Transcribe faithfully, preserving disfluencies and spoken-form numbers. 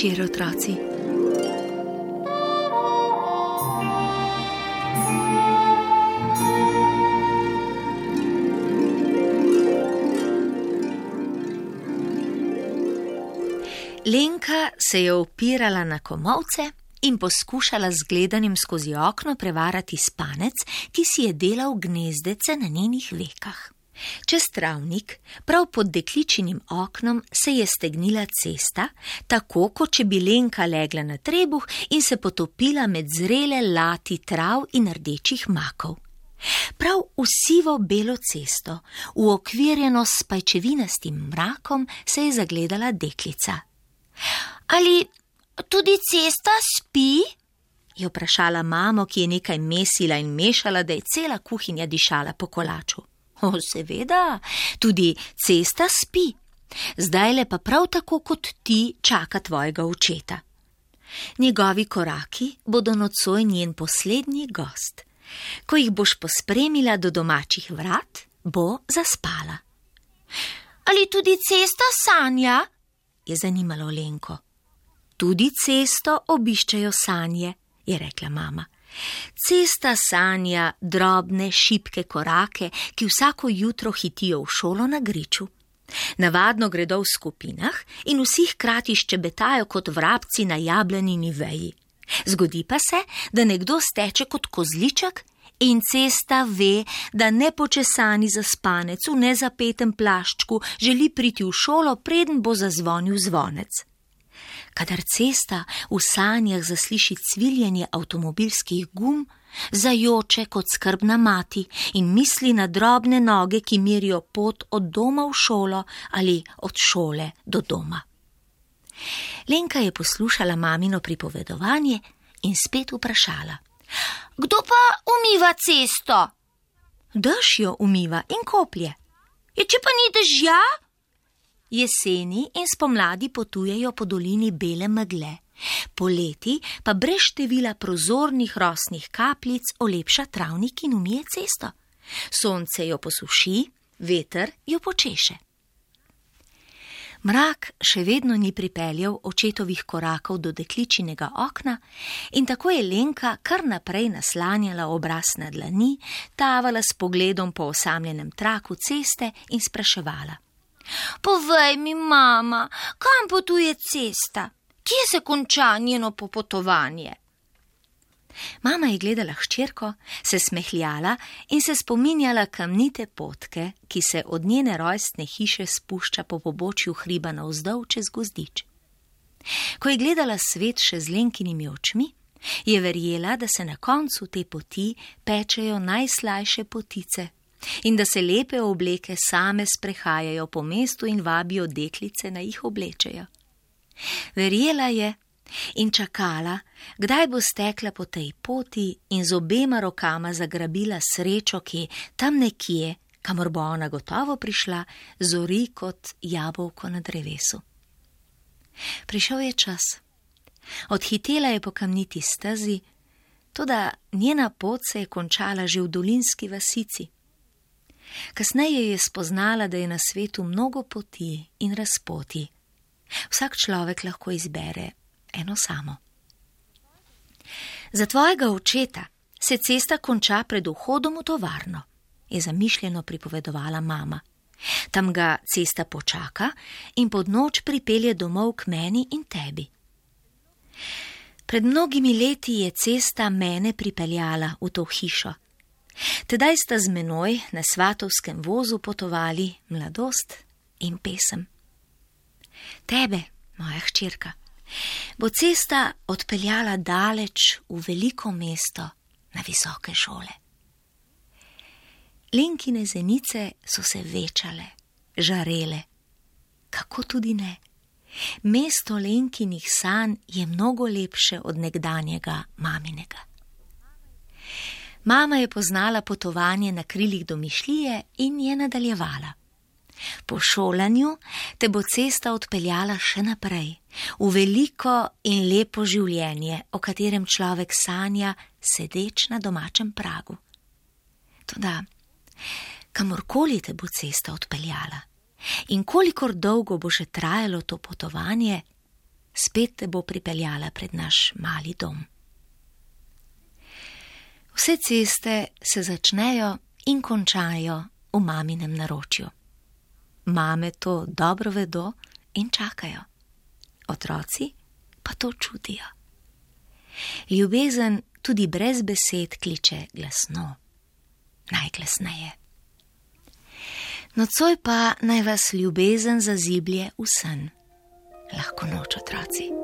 večer, otroci. Lenka se je opirala na komolce in poskušala z gledanjem skozi okno prevarati spanec, ki si je delal gnezdece na njenih vekah. Čez travnik, prav pod dekličinim oknom, se je stegnila cesta, tako kot če bi Lenka legla na trebuh in se potopila med zrele lati trav in rdečih makov. Prav v sivo belo cesto, uokvirjeno s pajčevinastim mrakom, se je zagledala deklica. Ali tudi cesta spi? Je vprašala mamo, ki je nekaj mesila in mešala, da je cela kuhinja dišala po kolaču. O, seveda, tudi cesta spi. Zdajle pa prav tako kot ti čaka tvojega očeta. Njegovi koraki bodo nocoj njen poslednji gost. Ko jih boš pospremila do domačih vrat, bo zaspala. Ali tudi cesta sanja? Je zanimalo Lenko. Tudi cesto obiščejo sanje, je rekla mama. Cesta sanja drobne, šibke korake, ki vsako jutro hitijo v šolo na griču. Navadno gredo v skupinah in vsi hkrati ščebetajo kot vrabci na jablanini veji. Zgodi pa se, da nekdo steče kot kozliček in cesta ve, da nepočesani zaspanec v nezapetem plaščku želi priti v šolo, preden bo zazvonil zvonec. Kadar cesta v sanjah zasliši cviljenje avtomobilskih gum, zajoče kot skrbna mati in misli na drobne noge, ki merijo pot od doma v šolo ali od šole do doma. Lenka je poslušala mamino pripovedovanje in spet vprašala. Kdo pa umiva cesto? Dež jo umiva in koplje. Je, če pa ni dežja? Jeseni in spomladi potujejo po dolini bele megle. Poleti pa brez števila prozornih rosnih kapljic olepša travnik in umije cesto. Sonce jo posuši, veter jo počeše. Mrak še vedno ni pripeljal očetovih korakov do dekličinega okna in tako je Lenka kar naprej naslanjala obraz na dlani, tavala s pogledom po osamljenem traku ceste in spraševala. Povej mi, mama, kam potuje cesta? Kje se konča njeno popotovanje? Mama je gledala hčerko, se smehljala in se spominjala kamnite potke, ki se od njene rojstne hiše spušča po pobočju hriba navzdol čez gozdič. Ko je gledala svet še z Lenkinimi očmi, je verjela, da se na koncu te poti pečejo najslajše potice in da se lepe obleke same sprehajajo po mestu in vabijo deklice, naj jih oblečejo. Verjela je in čakala, kdaj bo stekla po tej poti in z obema rokama zagrabila srečo, ki tam nekje, kamor bo ona gotovo prišla, zori kot jabolko na drevesu. Prišel je čas. Odhitela je po kamniti stezi, toda njena pot se je končala že v dolinski vasici. Kasneje je spoznala, da je na svetu mnogo poti in razpoti. Vsak človek lahko izbere eno samo. Za tvojega očeta se cesta konča pred vhodom v tovarno, je zamišljeno pripovedovala mama. Tam ga cesta počaka in pod noč pripelje domov k meni in tebi. Pred mnogimi leti je cesta mene pripeljala v to hišo. Tedaj sta z menoj na svatovskem vozu potovali mladost in pesem. Tebe, moja hčerka, bo cesta odpeljala daleč v veliko mesto na visoke šole. Lenkine zenice so se večale, žarele. Kako tudi ne? Mesto Lenkinih sanj je mnogo lepše od nekdanjega maminega. Mama je poznala potovanje na krilih domišljije in je nadaljevala. Po šolanju te bo cesta odpeljala še naprej, v veliko in lepo življenje, o katerem človek sanja, sedeč na domačem pragu. Toda, kamorkoli te bo cesta odpeljala in kolikor dolgo bo še trajalo to potovanje, spet te bo pripeljala pred naš mali dom. Vse ceste se začnejo in končajo v maminem naročju. Mame to dobro vedo in čakajo. Otroci pa to čutijo. Ljubezen tudi brez besed kliče glasno, najglasneje. Nocoj pa naj vas ljubezen zaziblje v sen. Lahko noč, otroci.